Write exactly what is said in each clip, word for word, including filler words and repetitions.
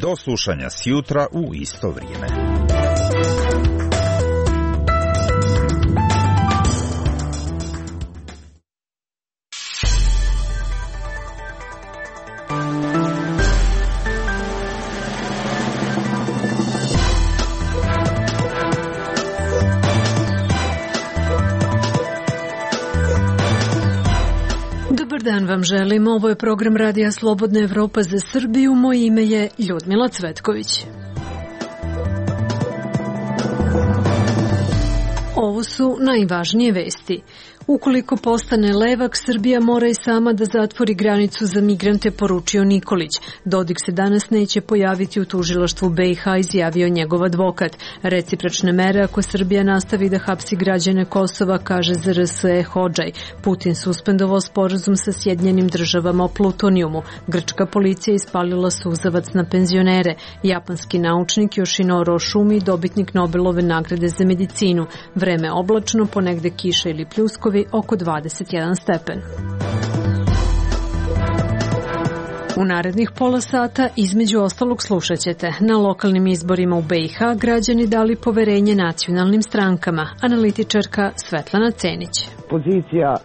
Do slušanja sjutra u isto vrijeme. Dobar dan vam želim, ovo je program Radija Slobodna Evropa za Srbiju, moje ime je Ljudmila Cvetković. Ovo su najvažnije vesti. Ukoliko postane levak, Srbija mora i sama da zatvori granicu za migrante, poručio Nikolić. Dodik se danas neće pojaviti u tužilaštvu B i H, izjavio njegov advokat. Recipročne mere ako Srbija nastavi da hapsi građane Kosova, kaže Z R S E Hodžaj. Putin suspendovao sporazum sa Sjedinjenim državama o plutonijumu. Grčka policija ispalila suzavac na penzionere. Japanski naučnik Yoshinoro Oshumi, dobitnik Nobelove nagrade za medicinu. Vreme oblačno, ponegde kiša ili pljuskovi, oko dvadeset jedan stepen. U narednih pola sata između ostalog slušat ćete: na lokalnim izborima u B i H građani dali poverenje nacionalnim strankama. Analitičarka Svetlana Cenić. Pozicija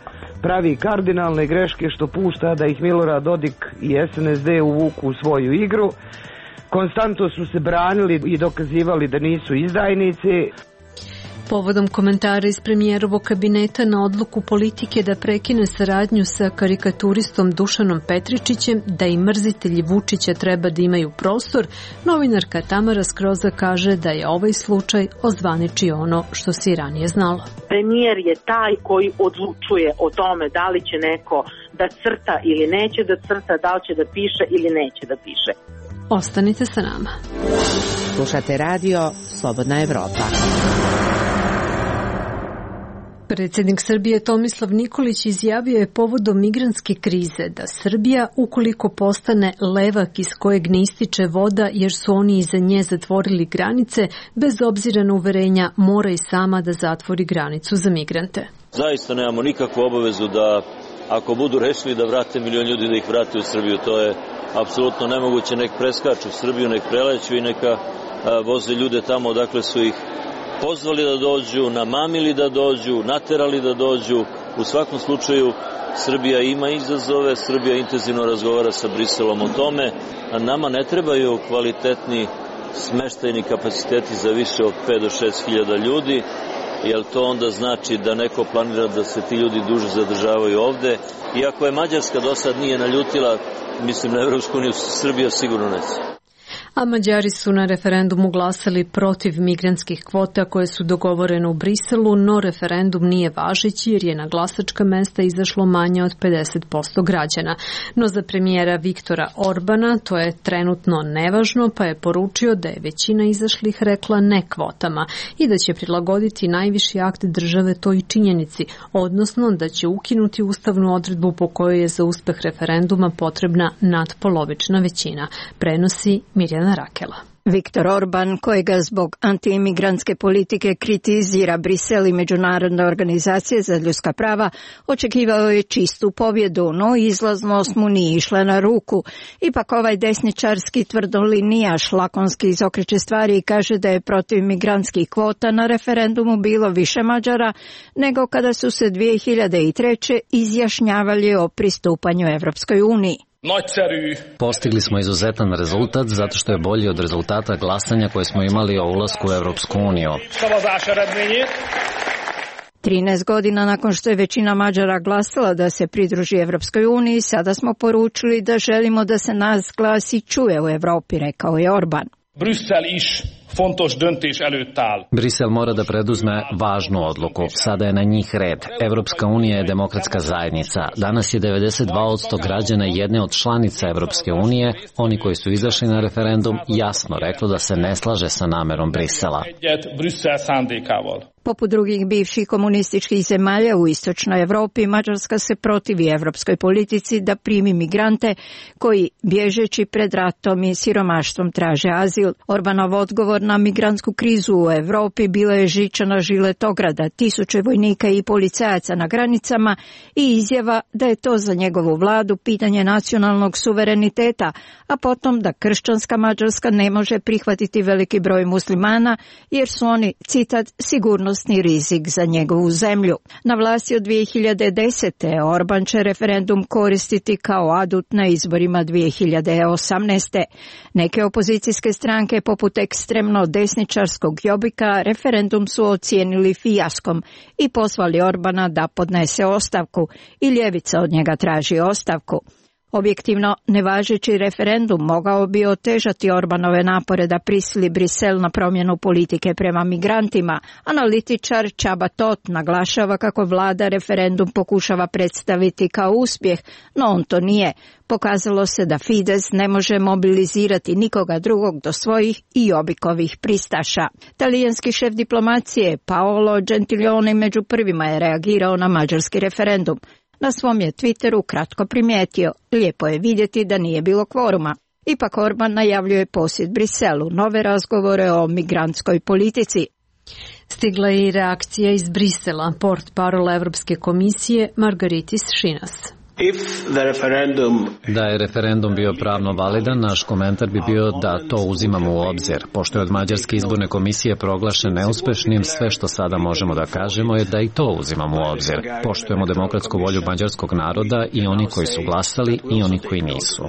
pravi kardinalne greške što pušta da ih Milorad Dodik i S N S D uvuku u svoju igru. Konstantno su se branili i dokazivali da nisu izdajnici. Povodom komentara iz premijerovog kabineta na odluku politike da prekine saradnju sa karikaturistom Dušanom Petričićem, da i mrzitelji Vučića treba da imaju prostor, novinarka Tamara Skroza kaže da je ovaj slučaj ozvaničio ono što se i ranije znalo. Premijer je taj koji odlučuje o tome da li će neko da crta ili neće da crta, da li će da piše ili neće da piše. Ostanite sa nama. Slušate radio Slobodna Evropa. Predsjednik Srbije Tomislav Nikolić izjavio je povodom migrantske krize da Srbija, ukoliko postane levak iz kojeg ne ističe voda jer su oni iza nje zatvorili granice, bez obzira na uverenja mora i sama da zatvori granicu za migrante. Zaista nemamo nikakvu obavezu da ako budu rešili da vrate milion ljudi da ih vrate u Srbiju, to je apsolutno nemoguće. Nek preskaču Srbiju, nek preleću i neka a, voze ljude tamo odakle su ih pozvali da dođu, namamili da dođu, naterali da dođu. U svakom slučaju Srbija ima izazove, Srbija intenzivno razgovara sa Briselom o tome, a nama ne trebaju kvalitetni smeštajni kapaciteti za više od pet do šest hiljada ljudi, jer to onda znači da neko planira da se ti ljudi duže zadržavaju ovde. Iako je Mađarska do sad nije naljutila, mislim na Evropsku uniju, Srbija sigurno neće. A Mađari su na referendumu glasali protiv migrantskih kvota koje su dogovorene u Briselu, no referendum nije važeći jer je na glasačka mesta izašlo manje od pedeset posto građana. No za premijera Viktora Orbana to je trenutno nevažno, pa je poručio da je većina izašlih rekla ne kvotama i da će prilagoditi najviši akt države toj činjenici, odnosno da će ukinuti ustavnu odredbu po kojoj je za uspeh referenduma potrebna nadpolovična većina, prenosi Mirjana Rakela. Viktor Orban, kojega zbog antiimigrantske politike kritizira Brisel i Međunarodna organizacija za ljudska prava, očekivao je čistu pobjedu, no izlaznost mu nije išla na ruku. Ipak ovaj desničarski tvrdolinijaš lakonski izokreće stvari i kaže da je protiv migrantskih kvota na referendumu bilo više Mađara nego kada su se dvije hiljade treće. izjašnjavali o pristupanju Evropskoj uniji. Postigli smo izuzetan rezultat zato što je bolji od rezultata glasanja koje smo imali o ulasku u Evropsku uniju. trinaest godina nakon što je većina Mađara glasala da se pridruži Evropskoj uniji, sada smo poručili da želimo da se nas glasi čuje u Evropi, rekao je Orban. Brisel mora da preduzme važnu odluku. Sada je na njih red. Evropska unija je demokratska zajednica. Danas je devedeset dva posto građana jedne od članica Evropske unije, oni koji su izašli na referendum, jasno reklo da se ne slaže sa namerom Brisela. Poput drugih bivših komunističkih zemalja u istočnoj Evropi, Mađarska se protivi evropskoj politici da primi migrante koji, bježeći pred ratom i siromaštvom, traže azil. Orbanov odgovor odgovor na migrantsku krizu u Evropi bila je žičana žiletograda, tisuće vojnika i policajaca na granicama i izjava da je to za njegovu vladu pitanje nacionalnog suvereniteta, a potom da kršćanska Mađarska ne može prihvatiti veliki broj muslimana jer su oni, citat, sigurnosni rizik za njegovu zemlju. Na vlasti od dvije hiljade desete. Orban će referendum koristiti kao adut na izborima dvije hiljade osamnaeste. Neke opozicijske stranke poput ekstremno desničarskog Jobbika referendum su ocijenili fijaskom i pozvali Orbana da podnese ostavku i ljevica od njega traži ostavku. Objektivno, nevažeći referendum mogao bi otežati Orbanove napore da prisili Brisel na promjenu politike prema migrantima. Analitičar Csaba Tóth naglašava kako vlada referendum pokušava predstaviti kao uspjeh, no on to nije. Pokazalo se da Fides ne može mobilizirati nikoga drugog do svojih i Jobbikovih pristaša. Talijanski šef diplomacije Paolo Gentiloni među prvima je reagirao na mađarski referendum. Na svom je Twitteru kratko primijetio, lijepo je vidjeti da nije bilo kvoruma. Ipak Orban najavljuje posjet Briselu, nove razgovore o migrantskoj politici. Stigla je i reakcija iz Brisela, portparol Evropske komisije Margaritis Šinas. Da je referendum bio pravno validan, naš komentar bi bio da to uzimamo u obzir. Pošto je od Mađarske izborne komisije proglašen neuspešnim, sve što sada možemo da kažemo je da i to uzimamo u obzir. Poštujemo demokratsku volju mađarskog naroda i oni koji su glasali i oni koji nisu.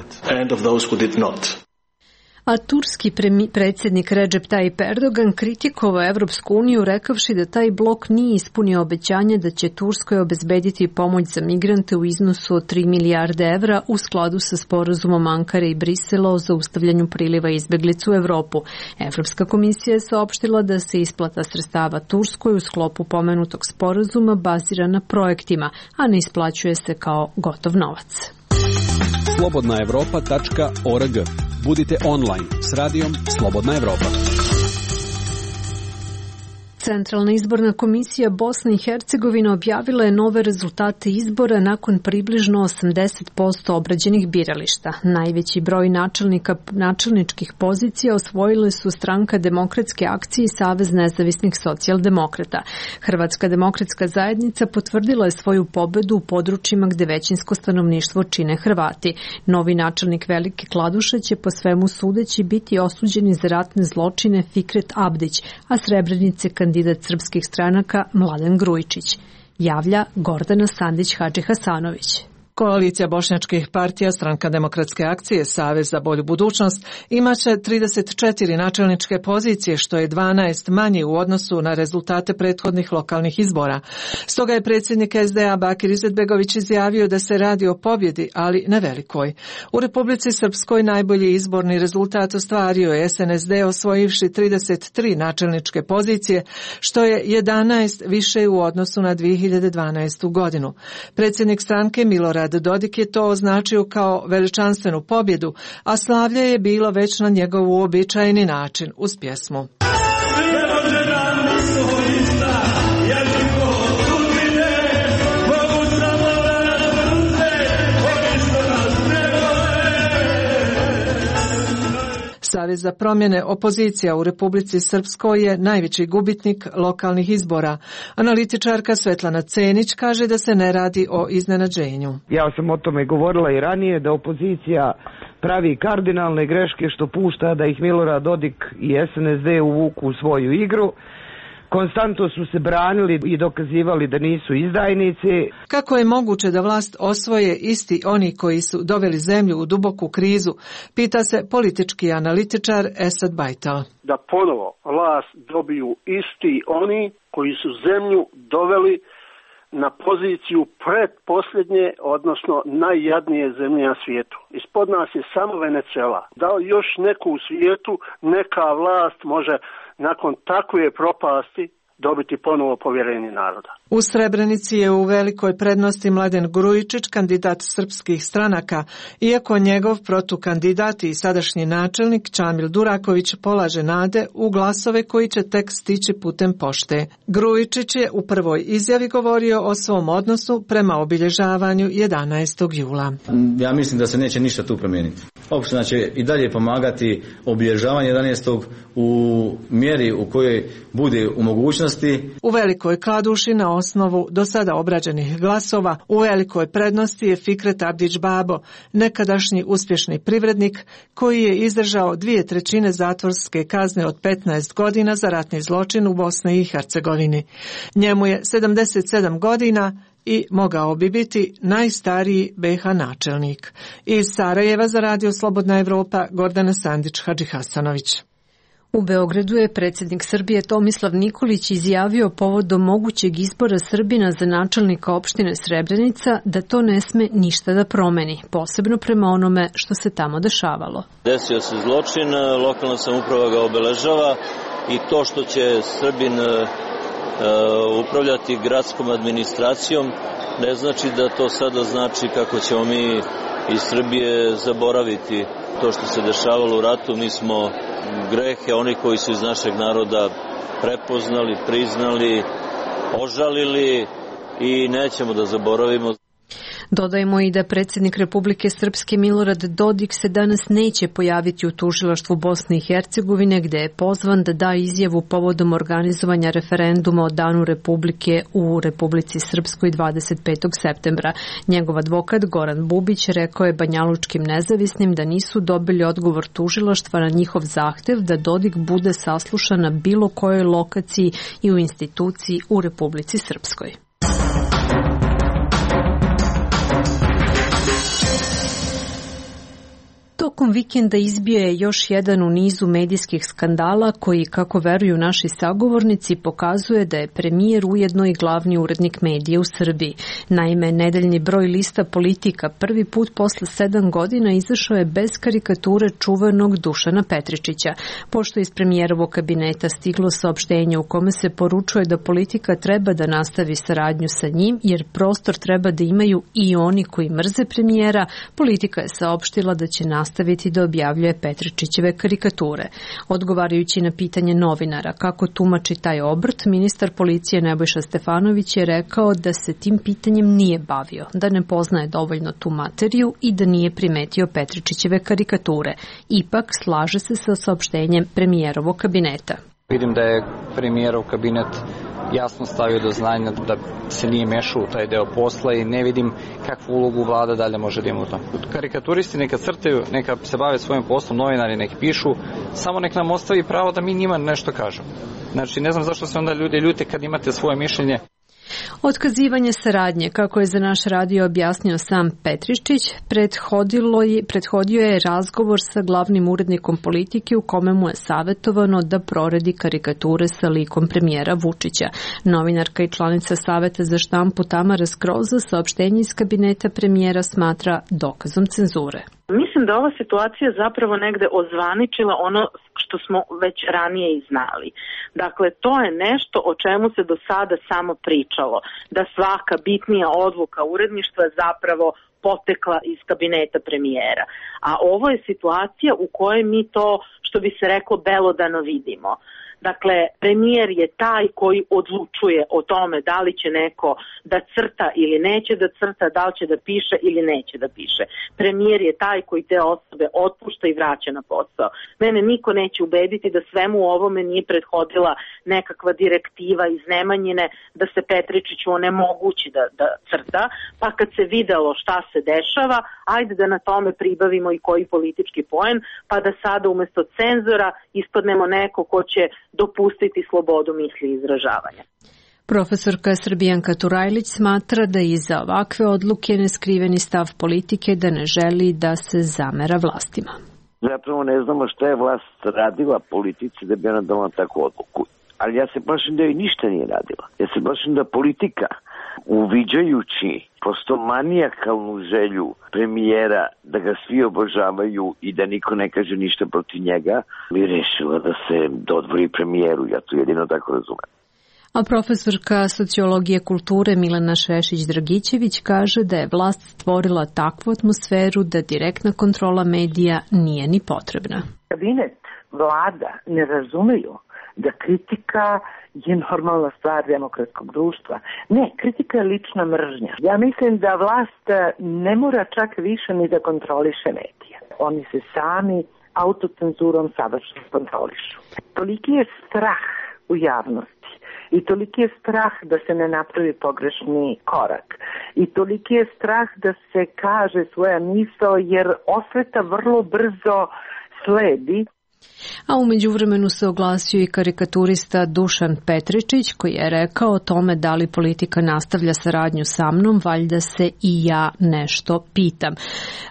A turski predsjednik Recep Tayyip Erdogan kritikovao Evropsku uniju rekavši da taj blok nije ispunio obećanje da će Turskoj obezbediti pomoć za migrante u iznosu od tri milijarde evra u skladu sa sporazumom Ankare i Brisela o zaustavljanju priliva izbeglica u Evropu. Evropska komisija je saopštila da se isplata sredstava Turskoj u sklopu pomenutog sporazuma bazira na projektima, a ne isplaćuje se kao gotov novac. slobodna evropa tačka org. Budite online s radijom Slobodna Evropa. Centralna izborna komisija Bosne i Hercegovine objavila je nove rezultate izbora nakon približno osamdeset posto obrađenih birališta. Najveći broj načelnika, načelničkih pozicija osvojile su Stranka demokratske akcije i Savez nezavisnih socijaldemokrata. Hrvatska demokratska zajednica potvrdila je svoju pobedu u područjima gde većinsko stanovništvo čine Hrvati. Novi načelnik Velike Kladuše će po svemu sudeći biti osuđeni za ratne zločine Fikret Abdić, a Srebrenice kandidat kandidat srpskih stranaka Mladen Grujičić. Javlja Gordana Sandić-Hadžihasanović. Koalicija bošnjačkih partija, Stranka demokratske akcije, Savez za bolju budućnost imaće trideset četiri načelničke pozicije, što je dvanaest manje u odnosu na rezultate prethodnih lokalnih izbora. Stoga je predsjednik es de a Bakir Izetbegović izjavio da se radi o pobjedi, ali ne velikoj. U Republici Srpskoj najbolji izborni rezultat ostvario je es en es de osvojivši trideset tri načelničke pozicije, što je jedanaest više u odnosu na dvije hiljade dvanaestu. godinu. Predsjednik stranke Milorad Dodik je to označio kao veličanstvenu pobjedu, a slavlje je bilo već na njegov uobičajeni način uz pjesmu. Savez za promjene opozicija u Republici Srpskoj je najveći gubitnik lokalnih izbora. Analitičarka Svetlana Cenić kaže da se ne radi o iznenađenju. Ja sam o tome govorila i ranije, da opozicija pravi kardinalne greške što pušta da ih Milorad Dodik i es en es de uvuku u svoju igru. Konstantno su se branili i dokazivali da nisu izdajnici. Kako je moguće da vlast osvoje isti oni koji su doveli zemlju u duboku krizu, pita se politički analitičar Esad Bajtal. Da ponovo vlast dobiju isti oni koji su zemlju doveli na poziciju predposljednje, odnosno najjadnije zemlje na svijetu. Ispod nas je samo Venezuela. Da li još neku u svijetu neka vlast može nakon takve propasti dobiti ponovo povjerenje naroda. U Srebrenici je u velikoj prednosti Mladen Grujičić, kandidat srpskih stranaka, iako njegov protukandidat i sadašnji načelnik Čamil Duraković polaže nade u glasove koji će tek stići putem pošte. Grujičić je u prvoj izjavi govorio o svom odnosu prema obilježavanju jedanaestog jula. Ja mislim da se neće ništa tu promijeniti. Opština će i dalje pomagati obilježavanje jedanaestog u mjeri u kojoj bude u mogućnosti. U Velikoj Kladuši na osnovu do sada obrađenih glasova u velikoj prednosti je Fikret Abdić Babo, nekadašnji uspješni privrednik koji je izdržao dvije trećine zatvorske kazne od petnaest godina za ratni zločin u Bosni i Hercegovini. Njemu je sedamdeset sedam godina i mogao bi biti najstariji be ha načelnik. Iz Sarajeva za Radio Slobodna Evropa, Gordana Sandić Hadžihasanović. U Beogradu je predsjednik Srbije Tomislav Nikolić izjavio povodom mogućeg izbora Srbina za načelnika opštine Srebrenica da to ne sme ništa da promeni, posebno prema onome što se tamo dešavalo. Desio se zločin, lokalna samouprava ga obeležava i to što će Srbin upravljati gradskom administracijom ne znači da to sada znači kako ćemo mi iz Srbije zaboraviti to što se dešavalo u ratu. Mi smo grehe, oni koji su iz našeg naroda prepoznali, priznali, ožalili i nećemo da zaboravimo. Dodajmo i da predsjednik Republike Srpske Milorad Dodik se danas neće pojaviti u tužilaštvu Bosne i Hercegovine, gde je pozvan da da izjavu povodom organizovanja referenduma o Danu Republike u Republici Srpskoj dvadeset petog septembra. Njegov advokat Goran Bubić rekao je banjalučkim nezavisnim da nisu dobili odgovor tužilaštva na njihov zahtev da Dodik bude saslušan na bilo kojoj lokaciji i u instituciji u Republici Srpskoj. Tokom vikenda izbio je još jedan u nizu medijskih skandala koji, kako veruju naši sagovornici, pokazuje da je premijer ujedno i glavni urednik medija u Srbiji. Naime, nedeljni broj lista Politika prvi put posle sedam godina izašao je bez karikature čuvenog Dušana Petričića, pošto iz premijerovog kabineta stiglo saopštenje u kome se poručuje da Politika treba da nastavi saradnju sa njim, jer prostor treba da imaju i oni koji mrze premijera. Politika je saopštila da će nastaviti nastaviti da objavljuje Petričićeve karikature. Odgovarajući na pitanje novinara kako tumači taj obrt, ministar policije Nebojša Stefanović je rekao da se tim pitanjem nije bavio, da ne poznaje dovoljno tu materiju i da nije primetio Petričićeve karikature. Ipak slaže se sa saopštenjem premijerovog kabineta. Vidim da je premijerov kabinet jasno stavio do znanja da se nije mešao u taj deo posla i ne vidim kakvu ulogu vlada dalje može da ima u tom. Karikaturisti neka crtaju, neka se bave svojim poslom, novinari nek pišu, samo nek nam ostavi pravo da mi njima nešto kažemo. Znači, ne znam zašto se onda ljudi ljute kad imate svoje mišljenje. Otkazivanje saradnje, kako je za naš radio objasnio sam Petričić, je, prethodio je razgovor sa glavnim urednikom Politike u kome mu je savjetovano da proredi karikature sa likom premijera Vučića. Novinarka i članica Saveta za štampu Tamara Skroza saopštenje iz kabineta premijera smatra dokazom cenzure. Mislim da ova situacija zapravo negde ozvaničila ono što smo već ranije i znali. Dakle, to je nešto o čemu se do sada samo pričalo, da svaka bitnija odluka uredništva zapravo potekla iz kabineta premijera. A ovo je situacija u kojoj mi to, što bi se reklo, belodano vidimo. Dakle, premijer je taj koji odlučuje o tome da li će neko da crta ili neće da crta, da li će da piše ili neće da piše. Premijer je taj koji te osobe otpušta i vraća na posao. Mene niko neće ubediti da svemu ovome nije prethodila nekakva direktiva iz Nemanjine da se Petričiću onemogući da, da crta, pa kad se videlo šta se dešava, ajde da na tome pribavimo i koji politički poen, pa da sada umesto cenzora ispadnemo neko ko će dopustiti slobodu misli i izražavanja. Profesorka Srbijanka Turajlić smatra da iza ovakve odluke neskriveni stav politike da ne želi da se zamera vlastima. Zapravo ne znamo šta je vlast radila politici da bi ona donala takvu odluku. Ali ja se plašim da joj ništa nije radila. Ja se plašim da politika, uviđajući prosto manijakalnu želju premijera da ga svi obožavaju i da niko ne kaže ništa protiv njega, bi rešila da se dodvori premijeru. Ja to jedino tako razumem. A profesorka sociologije kulture Milena Šešić-Dragićević kaže da je vlast stvorila takvu atmosferu da direktna kontrola medija nije ni potrebna. Kabinet, vlada ne razumeju da kritika je normalna stvar demokratskog društva. Ne, kritika je lična mržnja. Ja mislim da vlast ne mora čak više ni da kontroliše medije. Oni se sami autocenzurom savršeno kontrolišu. Toliki je strah u javnosti i toliki je strah da se ne napravi pogrešni korak i toliki je strah da se kaže svoja misao jer osveta vrlo brzo sledi. A umeđu vremenu se oglasio i karikaturista Dušan Petričić koji je rekao o tome da li politika nastavlja saradnju sa mnom, valjda se i ja nešto pitam.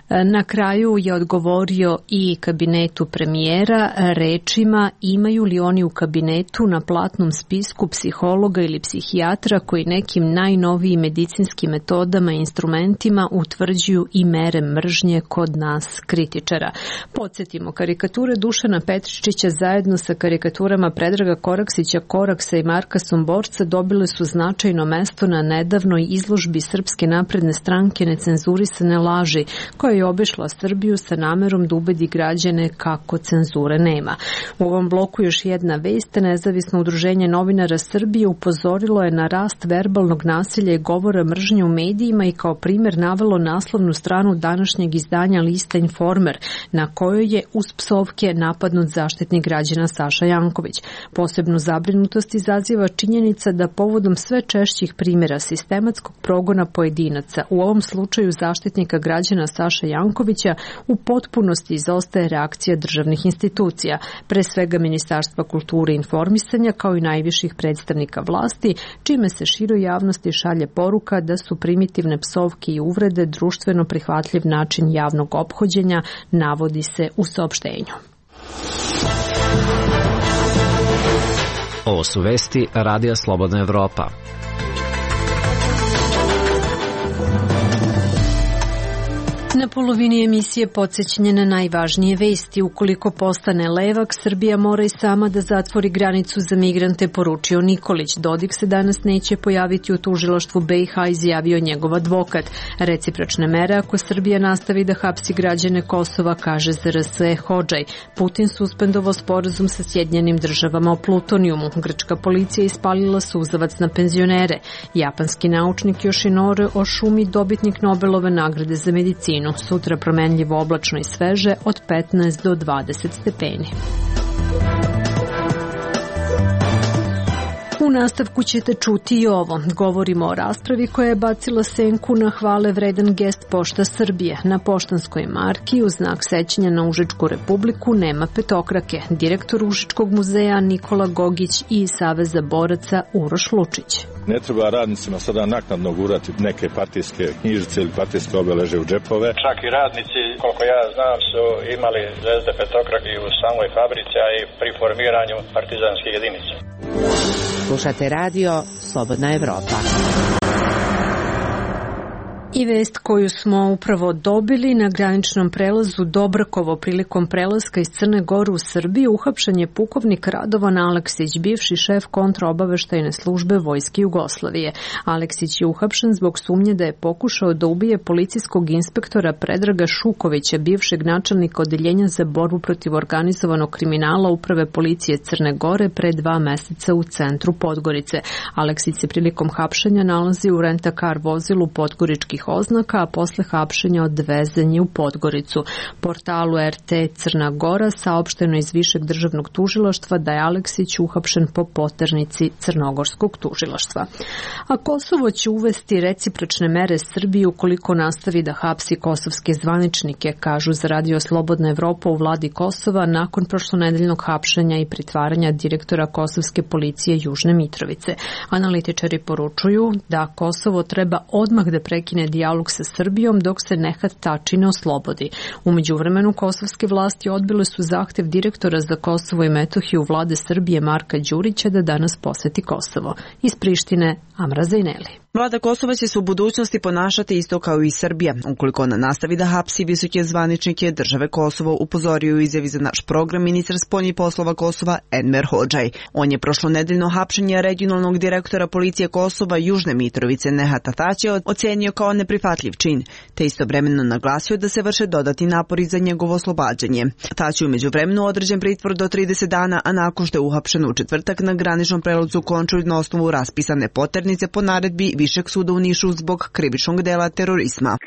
Na kraju je odgovorio i kabinetu premijera rečima imaju li oni u kabinetu na platnom spisku psihologa ili psihijatra koji nekim najnovijim medicinskim metodama i instrumentima utvrđuju i mere mržnje kod nas kritičara. Podsjetimo, karikature Dušana Petričića zajedno sa karikaturama Predraga Koraksića, Koraksa i Marka Somborca dobile su značajno mesto na nedavnoj izložbi Srpske napredne stranke Necenzurisane laži, koja je obišla Srbiju sa namerom da ubedi građane kako cenzure nema. U ovom bloku još jedna vest. Nezavisno udruženje novinara Srbije upozorilo je na rast verbalnog nasilja i govora mržnje u medijima i kao primjer navelo naslovnu stranu današnjeg izdanja lista Informer, na kojoj je uz psovke napadnut zaštitnik građana Saša Janković. Posebnu zabrinutost izaziva činjenica da povodom sve češćih primjera sistematskog progona pojedinaca, u ovom slučaju zaštitnika građana Saša Jankovića, u potpunosti izostaje reakcija državnih institucija, pre svega Ministarstva kulture i informisanja kao i najviših predstavnika vlasti, čime se široj javnosti šalje poruka da su primitivne psovke i uvrede društveno prihvatljiv način javnog ophođenja, navodi se u saopštenju. Ovo su vesti Radija Slobodna Evropa. Na polovini emisije podsjećanje na najvažnije vesti. Ukoliko postane levak, Srbija mora i sama da zatvori granicu za migrante, poručio Nikolić. Dodik se danas neće pojaviti u tužilaštvu B i H, izjavio njegov advokat. Recipročne mere ako Srbija nastavi da hapsi građane Kosova, kaže Z R S Hodžaj. Putin suspendovao sporazum sa Sjedinjenim državama o plutonijumu. Grčka policija ispalila suzavac na penzionere. Japanski naučnik Yoshinori Oshumi, dobitnik Nobelove nagrade za medicinu. Sutra promenljivo oblačno i sveže od petnaest do dvadeset stepeni. U nastavku ćete čuti i ovo. Govorimo o raspravi koja je bacila senku na hvale vredan gest Pošta Srbije. Na poštanskoj marki u znak sećanja na Užičku republiku nema petokrake. Direktor Užičkog muzeja Nikola Gogić i Saveza boraca Uroš Lučić. Ne treba radnicima sada naknadno gurati neke partijske knjižice ili partijske obeleže u džepove. Čak i radnici, koliko ja znam, su imali zvezde petokrake u samoj fabrici, a i pri formiranju partizanskih jedinica. Slušate radio Slobodna Evropa. I vest koju smo upravo dobili: na graničnom prelazu Dobrakovo prilikom prelaska iz Crne Gore u Srbiju uhapšen je pukovnik Radovan Aleksić, bivši šef kontraobaveštajne službe Vojske Jugoslavije. Aleksić je uhapšen zbog sumnje da je pokušao da ubije policijskog inspektora Predraga Šukovića, bivšeg načelnika odeljenja za borbu protiv organizovanog kriminala Uprave policije Crne Gore, pre dva meseca u centru Podgorice. Aleksić se prilikom hapšenja nalazi u rent-a-car vozilu podgoričkih oznaka, a posle hapšenja odvezen je u Podgoricu. Portalu R T Crna Gora saopšteno iz Višeg državnog tužilaštva da je Aleksić uhapšen po poternici Crnogorskog tužilaštva. A Kosovo će uvesti recipročne mere Srbiji ukoliko nastavi da hapsi kosovske zvaničnike, kažu za Radio Slobodna Evropa u vladi Kosova nakon prošlonedeljnog hapšenja i pritvaranja direktora kosovske policije Južne Mitrovice. Analitičari poručuju da Kosovo treba odmah da prekine dijalog sa Srbijom dok se Nehat Tači ne oslobodi. U međuvremenu kosovske vlasti odbile su zahtev direktora za Kosovo i Metohiju vlade Srbije Marka Đurića da danas poseti Kosovo. Iz Prištine, Amra Zajneli. Vlada Kosova će se u budućnosti ponašati isto kao i Srbija, ukoliko ona nastavi da hapsi visoke zvaničnike države Kosovo, upozorio u izjavi za naš program ministar spoljnih poslova Kosova Enver Hodžaj. On je prošlo nedeljno hapšenje regionalnog direktora policije Kosova Južne Mitrovice Nehata Taće ocenio kao neprihvatljiv čin, te istovremeno naglasio da se vrše dodatni napori za njegovo oslobađanje. Taći je u međuvremenu određen pritvor do trideset dana, a nakon što je uhapšen u četvrtak na graničnom prelazu Končulj na osnovu raspisane poternice po naredbi Višeg suda u Nišu zbog krivičnog dela terorizma.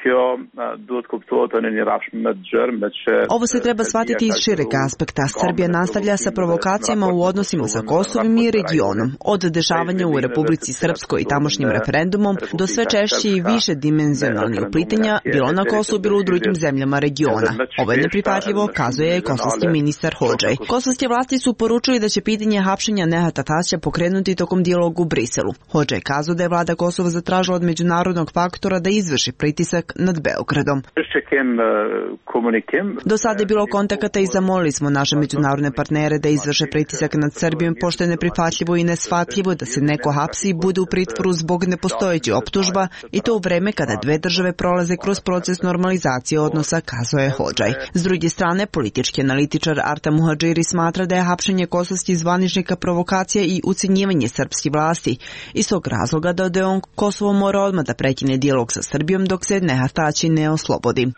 Ovo se treba shvatiti iz šireg aspekta. Srbija nastavlja sa provokacijama u odnosima sa Kosovom i regionom. Od dešavanja u Republici Srpskoj i tamošnjim referendumom do sve češće i više dimenzionalnih uplitanja bilo na Kosovu, bilo u drugim zemljama regiona. Ovo je neprihvatljivo, kazuje je kosovski ministar Hodžaj. Kosovske vlasti su poručili da će pitanje hapšenja Nehata Taća pokrenuti tokom dijaloga u Briselu. Hodžaj kazao da je vlada Kosova zatražila od međunarodnog faktora da izvrši pritisak nad Beogradom. Do sada je bilo kontakata i zamolili smo naše međunarodne partnere da izvrše pritisak nad Srbijom, pošto je neprihvatljivo i neshvatljivo da se neko hapsi i bude u pritvoru zbog nepostojećih optužba, i to u vreme kada dve države prolaze kroz proces normalizacije odnosa, kazao je Hodžaj. S druge strane, politički analitičar Arta Muhadžiri smatra da je hapšenje kosovskih zvaničnika provokacija i ucenjivanje srpskih vlasti. Iz tog razloga dodaje on, Kosovo mora odmah da prekine dijalog sa Srbijom dok se Nehat Tači ne oslobodi.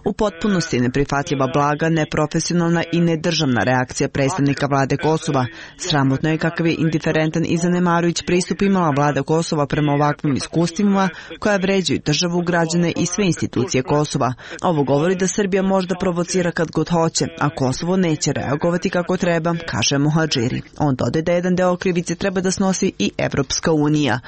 U potpunosti neprihvatljiva, blaga, neprofesionalna i nedržavna reakcija predstavnika vlade Kosova. Sramotno je kakav je indiferentan i zanemarujuć pristup imala vlada Kosova prema ovakvim iskustvima koja vređaju državu, građane i sve institucije Kosova. Ovo govori da Srbija možda provocira kad god hoće, a Kosovo neće reagovati kako treba, kaže Muhadžiri. On dodaje da jedan deo krivice treba da snosi i Evropska unija.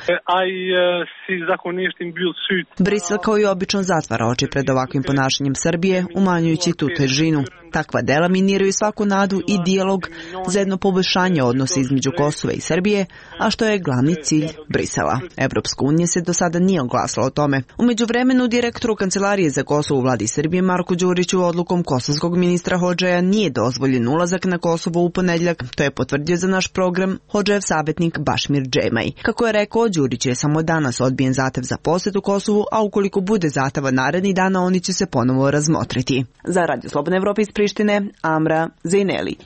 Brisel kao i obično zatvara oči pred ovakvim ponašanjem Srbije, umanjujući tu težinu. Takva dela miniraju svaku nadu i dijalog za jedno poboljšanje odnosa između Kosova i Srbije, a što je glavni cilj Brisela. Evropska unija se do sada nije oglasila o tome. U međuvremenu, direktoru Kancelarije za Kosovo u vladi Srbije Marku Đuriću odlukom kosovskog ministra Hodžaja nije dozvoljen ulazak na Kosovo u ponedjeljak. To je potvrdio za naš program Hodžajev savjetnik Bašmir Džemaj. Kako je rekao, Đurić je samo danas odbijen zahtev za posjet u Kosovu, a ukoliko bude zahteva narednih dana, oni će se ponovo razmotriti. Za Radio Slobodna Evropa iz Prištine, Amra Zajneli.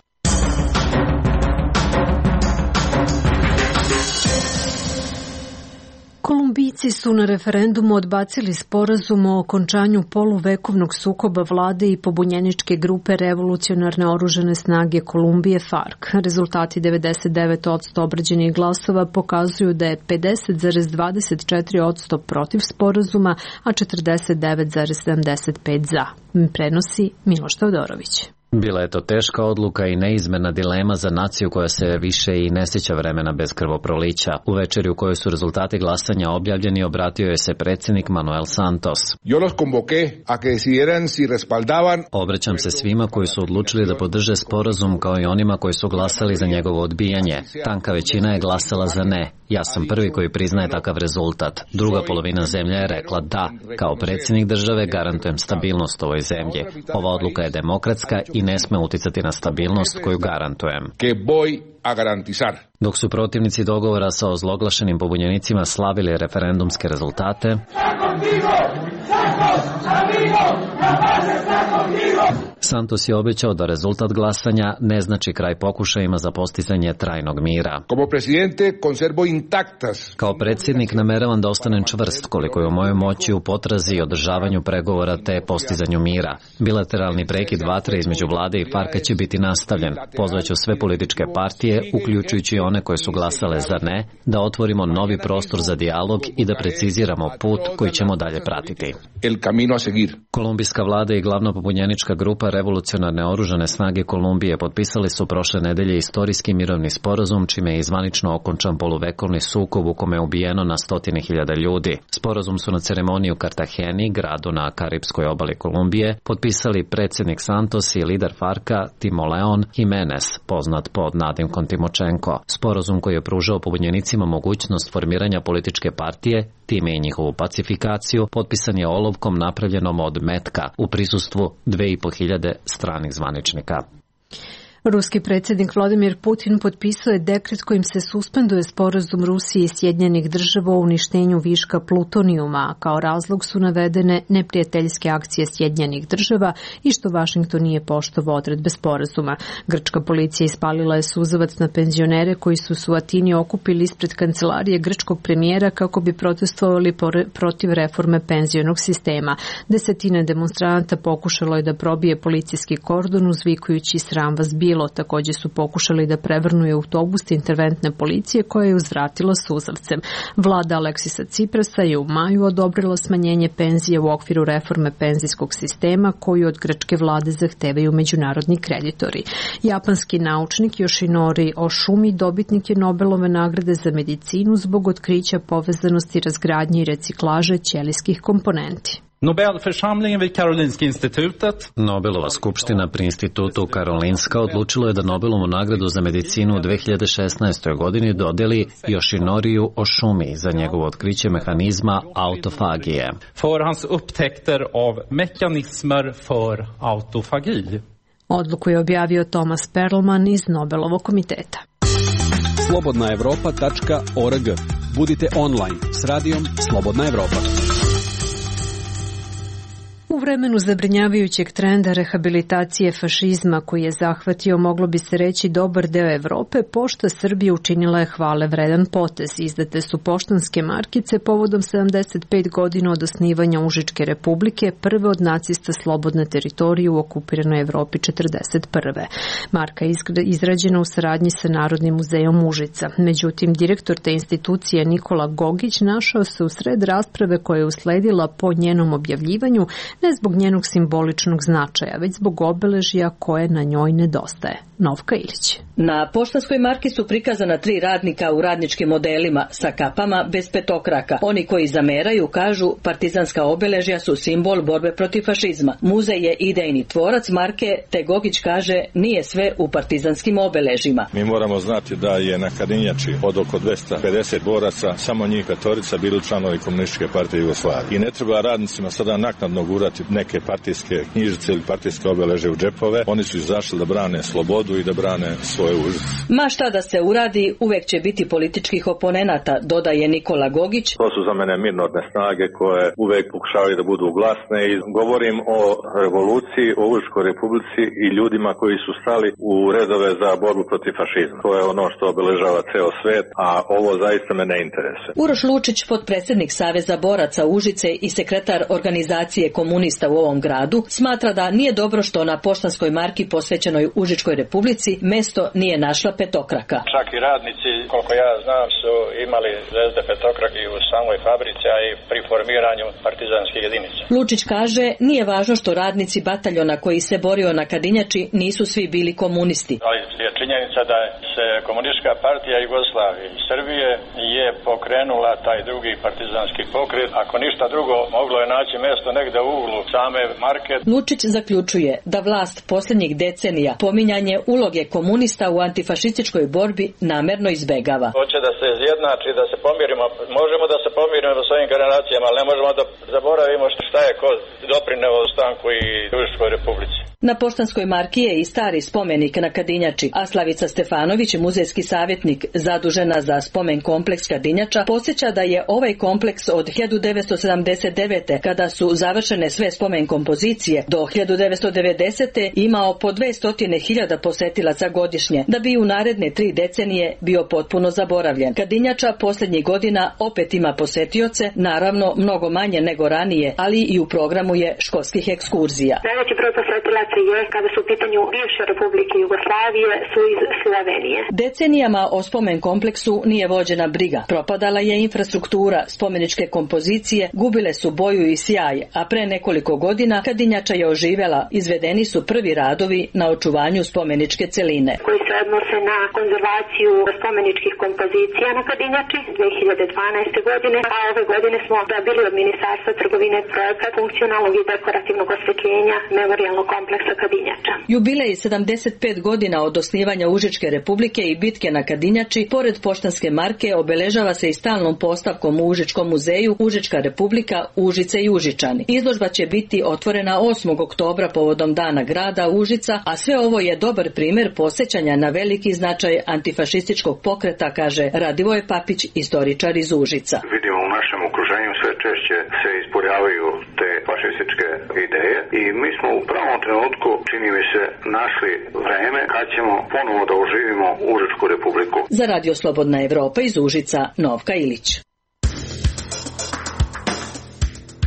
Kolumbijci su na referendumu odbacili sporazum o okončanju poluvekovnog sukoba vlade i pobunjeničke grupe Revolucionarne oružane snage Kolumbije FARC. Rezultati devedeset devet posto obrađenih glasova pokazuju da je pedeset zarez dvadeset četiri posto protiv sporazuma, a četrdeset devet zarez sedamdeset pet za. Prenosi Miloš Teodorović. Bila je to teška odluka i neizmerna dilema za naciju koja se više i ne sjeća vremena bez krvoprolića. U večeri u kojoj su rezultati glasanja objavljeni, obratio je se predsjednik Manuel Santos. Yo los convoqué a que decidieran si respaldaban. Obraćam se svima koji su odlučili da podrže sporazum, kao i onima koji su glasali za njegovo odbijanje. Tanka većina je glasala za ne. Ja sam prvi koji priznaje takav rezultat. Druga polovina zemlje je rekla da. Kao predsjednik države garantujem stabilnost ovoj zemlji. Ova odluka je demokratska i ne sme uticati na stabilnost koju garantujem. Dok su protivnici dogovora sa ozloglašenim pobunjenicima slavili referendumske rezultate, Santos je obećao da rezultat glasanja ne znači kraj pokušajima za postizanje trajnog mira. Kao predsjednik nameravam da ostanem čvrst koliko je u mojoj moći u potrazi i održavanju pregovora te postizanju mira. Bilateralni prekid vatre između vlade i FARC-a će biti nastavljen. Pozvaću sve političke partije, uključujući one koje su glasale za ne, da otvorimo novi prostor za dijalog i da preciziramo put koji ćemo dalje pratiti. Kolumbijska vlada i glavna pobunjenička grupa grupa Revolucionarne oružane snage Kolumbije potpisali su prošle nedelje istorijski mirovni sporazum, čime je izvanično okončan poluvekovni sukob u kome je ubijeno na stotine hiljada ljudi. Sporazum su na ceremoniji u Kartageni, gradu na Karipskoj obali Kolumbije, potpisali predsjednik Santos i lider Farka Timoleon Jimenez, poznat pod nadimkom Timočenko. Sporazum koji je pružao pobunjenicima mogućnost formiranja političke partije, time i njihovu pacifikaciju, potpisan je olovkom napravljenom od metka u prisustvu dve i po hiljade stranih zvaničnika. Ruski predsjednik Vladimir Putin potpisao je dekret kojim se suspenduje sporazum Rusije i Sjedinjenih država o uništenju viška plutonijuma, a kao razlog su navedene neprijateljske akcije Sjedinjenih država i što Vašington nije poštovao odredbe sporazuma. Grčka policija ispalila je suzavac na penzionere koji su se u Atini okupili ispred kancelarije grčkog premijera kako bi protestovali protiv reforme penzionog sistema. Desetine demonstranata pokušalo je da probije policijski kordon uzvikujući sram vas bilo. Također su pokušali da prevrnu autobus interventne policije koja je uzvratila suzavcem. Vlada Aleksisa Ciprasa je u maju odobrila smanjenje penzije u okviru reforme penzijskog sistema koju od grčke vlade zahtevaju međunarodni kreditori. Japanski naučnik Yoshinori Oshumi dobitnik je Nobelove nagrade za medicinu zbog otkrića povezanosti razgradnje i reciklaže ćelijskih komponenti. Nobelförsamlingen vid Karolinska institutet. Nobelova skupština pri institutu Karolinska odlučilo je da Nobelovu nagradu za medicinu u dve hiljade šesnaestoj. godini dodeli Yoshinoriju Oshumi za njegovo otkriće mehanizma autofagije. För hans upptäckter av mekanismer för autofagi. Odluku je objavio Thomas Perlman iz Nobelovog komiteta. slobodna evropa tačka org. Budite online s radijom Slobodna Evropa. U vremenu zabrinjavajućeg trenda rehabilitacije fašizma koji je zahvatio, moglo bi se reći, dobar deo Evrope, Pošta Srbije učinila je hvale vredan potez. Izdate su poštanske markice povodom sedamdeset pet godina od osnivanja Užičke republike, prve od nacista slobodne teritorije u okupiranoj Evropi četrdeset prve. Marka je izrađena u saradnji sa Narodnim muzejom Užica. Međutim, direktor te institucije Nikola Gogić našao se u sred rasprave koja je usledila po njenom objavljivanju, ne zbog njenog simboličnog značaja, već zbog obeležja koje na njoj nedostaje. Novka Ilić. Na poštanskoj marki su prikazana tri radnika u radničkim modelima sa kapama bez petokraka. Oni koji zameraju kažu partizanska obeležja su simbol borbe protiv fašizma. Muzej je idejni tvorac marke, te Gogić kaže nije sve u partizanskim obeležjima. Mi moramo znati da je na Kadinjači od oko dvesta pedeset boraca samo njih petorica bili članovi Komunističke partije Jugoslavije. I ne treba radnicima sada naknadno gurati neke partijske knjižice ili partijske obeležje u džepove. Oni su izašli da brane slobodu i da brane svoje užas. Ma šta da se uradi, uvek će biti političkih oponenata, dodaje Nikola Gogić. To su za mene mirnodne snage koje uvek pokušavaju da budu glasne i govorim o revoluciji, o Užičkoj republici i ljudima koji su stali u redove za borbu protiv fašizma. To je ono što obeležava ceo svet, a ovo zaista me ne interesuje. Uroš Lučić, potpredsjednik Saveza boraca Užice i sekretar organizacije komunista u ovom gradu, smatra da nije dobro što na poštanskoj marki posvećenoj Užičkoj republici mesto nije našla petokraka. Čak i radnici, koliko ja znam, su imali zvezde petokrake u samoj fabrici, a i pri formiranju partizanskih jedinica. Lučić kaže, nije važno što radnici bataljona koji se borio na Kadinjači nisu svi bili komunisti. Ali je činjenica da se Komunistička partija Jugoslavije i Srbije je pokrenula taj drugi partizanski pokret. Ako ništa drugo, moglo je naći mesto negde u uglu same marke. Lučić zaključuje da vlast posljednjih decenija pominjanje uloge komunista u antifašističkoj borbi namerno izbegava. Hoće da se izjednači, da se pomirimo. Možemo da se pomirimo sa svojim generacijama, ali ne možemo da zaboravimo šta je ko doprineo ostanku i Užičkoj republici. Na poštanskoj marki je i stari spomenik na Kadinjači, a Slavica Stefanović, muzejski savjetnik zadužena za spomen kompleks Kadinjača, podsjeća da je ovaj kompleks od hiljadu devetsto sedamdeset devete. kada su završene sve spomen kompozicije, do hiljadu devetsto devedesete. imao po dvesta hiljada posetilaca godišnje, da bi u naredne tri decenije bio potpuno zaboravljen. Kadinjača posljednjih godina opet ima posetioce, naravno mnogo manje nego ranije, ali i u programu je školskih ekskurzija. Najveći broj posetilaca je, kada su u pitanju bivše Republike Jugoslavije, su iz Slovenije. Decenijama o spomen kompleksu nije vođena briga. Propadala je infrastruktura, spomeničke kompozicije gubile su boju i sjaj, a pre nekoliko godina Kadinjača je oživela. Izvedeni su prvi radovi na očuvanju spomeničke celine. Koji se odnose na konzervaciju spomeničkih kompozicija na Kadinjači dve hiljade dvanaeste. godine, a ove godine smo dobili od Ministarstva trgovine projekat funkcionalnog i dekorativnog osvetljenja memorijalnog kompleksa Kadinjača. Jubilej sedamdeset pet godina od osnivanja Užičke republike i bitke na Kadinjači, pored poštanske marke, obeležava se i stalnom postavkom u Užičkom muzeju Užička republika, Užice i Užičani. Izložba će biti otvorena osmog oktobra povodom Dana grada Užica, a sve ovo je dobar primjer posjećanja na veliki značaj antifašističkog pokreta, kaže Radivoje Papić, istoričar iz Užica. Vidimo u našem okruženju sve češće se ispoljavaju te fašističke ideje i mi smo u pravom trenutku, čini mi se, našli vreme kad ćemo ponovo da oživimo Užičku republiku. Za Radio Slobodna Evropa iz Užica, Novka Ilić.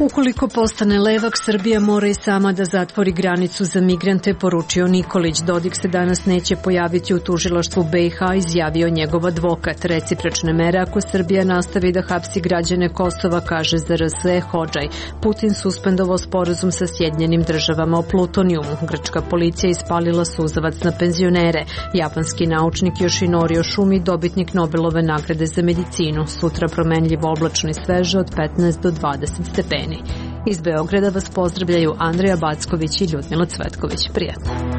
Ukoliko postane levak, Srbija mora i sama da zatvori granicu za migrante, poručio Nikolić. Dodik se danas neće pojaviti u tužilaštvu B i H, izjavio njegov advokat. Recipročne mere ako Srbija nastavi da hapsi građane Kosova, kaže Z R S Hodžaj. Putin suspendovao sporazum sa Sjedinjenim državama o plutonijumu. Grčka policija ispalila suzavac na penzionere. Japanski naučnik Yoshinori Oshumi, dobitnik Nobelove nagrade za medicinu. Sutra promenljivo oblačno i sveže od petnaest do dvadeset stepeni. Iz Beograda vas pozdravljaju Andreja Backović i Ljudmila Cvetković. Prijatno.